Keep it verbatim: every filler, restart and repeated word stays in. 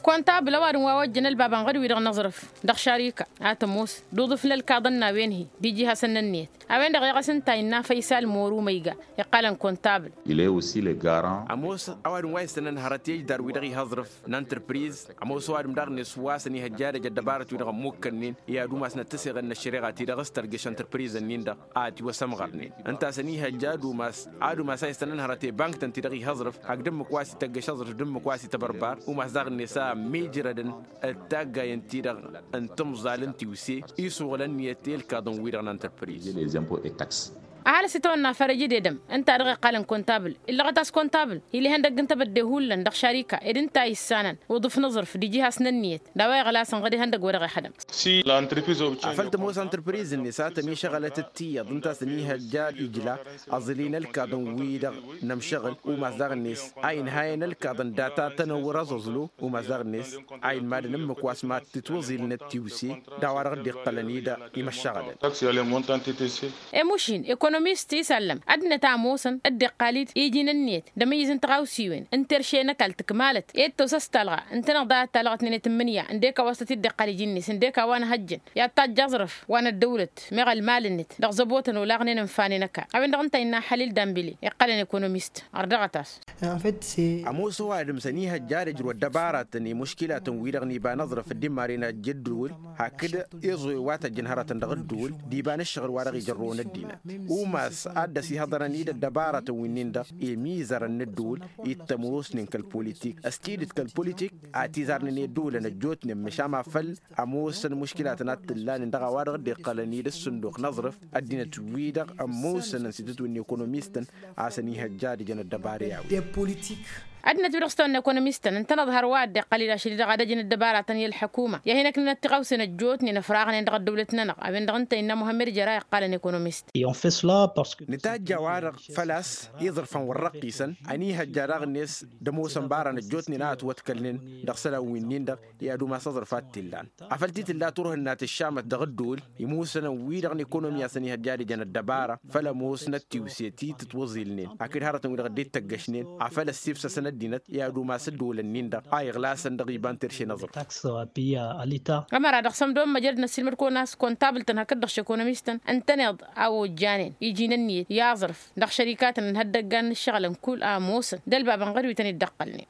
Kăntabǝl ăwadǝm wa ojjăn ălbabăn ɣăr-wi-dăɣ n-aẓrǝf dăɣ-šarika a tămoos d-uḍǝf n-ălkaḍăn n-a-wen-hi d-iji hasăn-nănniyăt. A-wen-dăɣ iɣăs ǝnta innă făysal moru ma iga iqqalăn kăntabǝl. Ămoos ăwadǝm wa issănăn hărăt i-ăjdar-wi-dăɣ iha aẓrǝf n-ăntrǝpriz. Ămoos ăwadǝm daɣ-net wa săn ihăjja ad-ăj ăddăbarăt-wi-dăɣ ămmukkănnen i-ad-umasnăt tăseɣen n-ăššăreɣa-ti-dăɣ s-tărgeš ăntrǝprizăn-nin-dăɣ a tiwăsămɣărnen. Ǝnta a-s ăniihăjja ad-umas ad-umas a issănăn hărăt i-bank-tăn-ti-dăɣ iha aẓrǝf hakd ǝmmǝk wa s-ităggeš aẓrǝf d-ǝmmǝk wa s-ităbărbăr. Umas daɣ-net a ămmiijrădăn d-taggayăn-ti-dăɣ n-timẓal n-tiwse isuɣǝl ǝnniyăt i-ǝlkaḍăn-wi-dăɣ n-ăntrǝpriz. Ăhalǝs itawănna fărăj d-edăm ǝnta a dăɣ-iqqalăn kăntabǝl illăɣăt a-s kăntabǝl. Ila ihăndăgg n-tebădde hullan dăɣ-šarika ed ǝnta a issanăn uḍǝf n-aẓrǝf d-iji has-nănniyăt d-a-wa iɣlasăn ɣăr ihăndăgg wa dăɣ-ihădăm. Afăl tămoos ăntrǝpriz-net a tămišăɣălăt d-tiyyăḍ ǝnta a-s ăniihăjja ijla aẓǝli n-ălkaḍăn-wi-dăɣ n-ămšăɣǝl. Umas daɣ-net a inhayăn ălkaḍăn data tănăwwăr aẓăẓlu. Umas daɣ-net a inmadăn ǝmmǝk wa s-mad-tǝtwăẓilnăt tiwse d-a-wa-dăɣ dd-iqqălăn-i-dăɣ imăššăɣălăn. Emušin ekonomist isallăm ăddinăt a ămoosăn dd-iqqal-dd iji n-ǝnniyăt d-amǝyyǝz n-tiɣawsiwen n-terše n-ăkall tǝkmalăt i-dd-tăwsa s-talɣa ǝntăneḍ a talɣăt n-enăt n-imǝnǝya ǝndek a-wa s-tăt-dd-iqqal iji-net ǝndek a-wa n-ehăjjăn i-ad-tajj aẓrǝf wa n-ăddăwlăt meɣ ălmal-net dăɣ-zăbotăn olaɣnen ǝnfanen ăkall. A-wen-dăɣ ǝnta a innă ăhalil dambile iqqălăn ekonomist ărdăɣăt-as. Ămoos ăwadǝm s-ănihăjja ad-ǝjrǝw ăddăbaratăn i-muškilatăn-wi-dăɣ n-iba n-aẓrǝf dd-immaren ajj ăddǝwǝl hakd iẓuwen wa tăjjăn hărătăn dăɣ-ǝddǝwǝl d-iba n-ǝššăɣǝl wa dăɣ-ijărrăwăn ăddinăt. Umas ad-dd-ăsihăḍărăn-dd ăddăbaratăn wi-nin-dăɣ i-imizărăn n-ǝddǝwǝl i t-ămoosnen kăl-politik ăstidǝt kăl-politik a tizarnen i-ăddǝwǝlăn ăjjootnen măšan ma făl ămoosăn muškilatăn a t-ǝllanen dăɣ-a-wa-dăɣ dd-iqqălăn-dd ǝssǝnduq n-aẓrǝf. Ăddinăt-wi-dăɣ ămoosăn ǝnsidăt wi n-ekonomistăn a-s ănihăjja ad-ǝjăn ăddăbara i-a-wen. Ăddinăt-wi-dăɣ s-tawănna ekonomistăn ǝntăneḍ hărwa a dd-iqqăl-dd ašăl-i-dăɣ ad-ăjăn ăddăbaratăn i-ălḥăkuma i-ad-hin-ăknănăt tiɣawsen ăjjootnen ăfraɣnen dăɣ-ăddăwlăt-nănăɣ. A-wen-dăɣ ǝnta innă muhămmed jăra iqqalăn ekonomist. Nǝtajj a-wa-dăɣ făl-a-s iẓrǝf ănwărrăqqisăn ăniihăjja daɣ-net d-ămoosăn baran ăjjootnen a ătwătkălnen dăɣ-isălan wi-nin-dăɣ i-ad-umas aẓrǝf a t-illan. Afăl titǝlla turhǝnna tǝššamăt dăɣ-ǝddǝwǝl imusănăn-wi-dăɣ n-ekonomi a-s ănihăjja ad-ǝjăn ăddăbara făll-ămoosnăt tiwse ti tǝtwăẓilnen hakd hărătăn-wi-dăɣ dd-ittăggăšnen. Afăl ăssifsăsăn ăddinăt i-ad-umas ǝddǝwǝlăn-nin-dăɣ a iɣlasăn dăɣ-iba n-terše n-aẓrǝf. Ămăra dăɣ-sămdo n-măjrăd n-ăssiilmăd-kăwăn a-s kontabǝl-tăn hakd-dăɣ šekonomis-tăn ǝntăneḍ a ojjanen iji n-ǝnniyăt i-aẓrǝf dăɣ-šărikatăn n-ihăddăggan n-ǝššăɣǝlăn kull a ămoosăn d-ălbabăn ɣăr wi tăn-dd-ăqqălnen.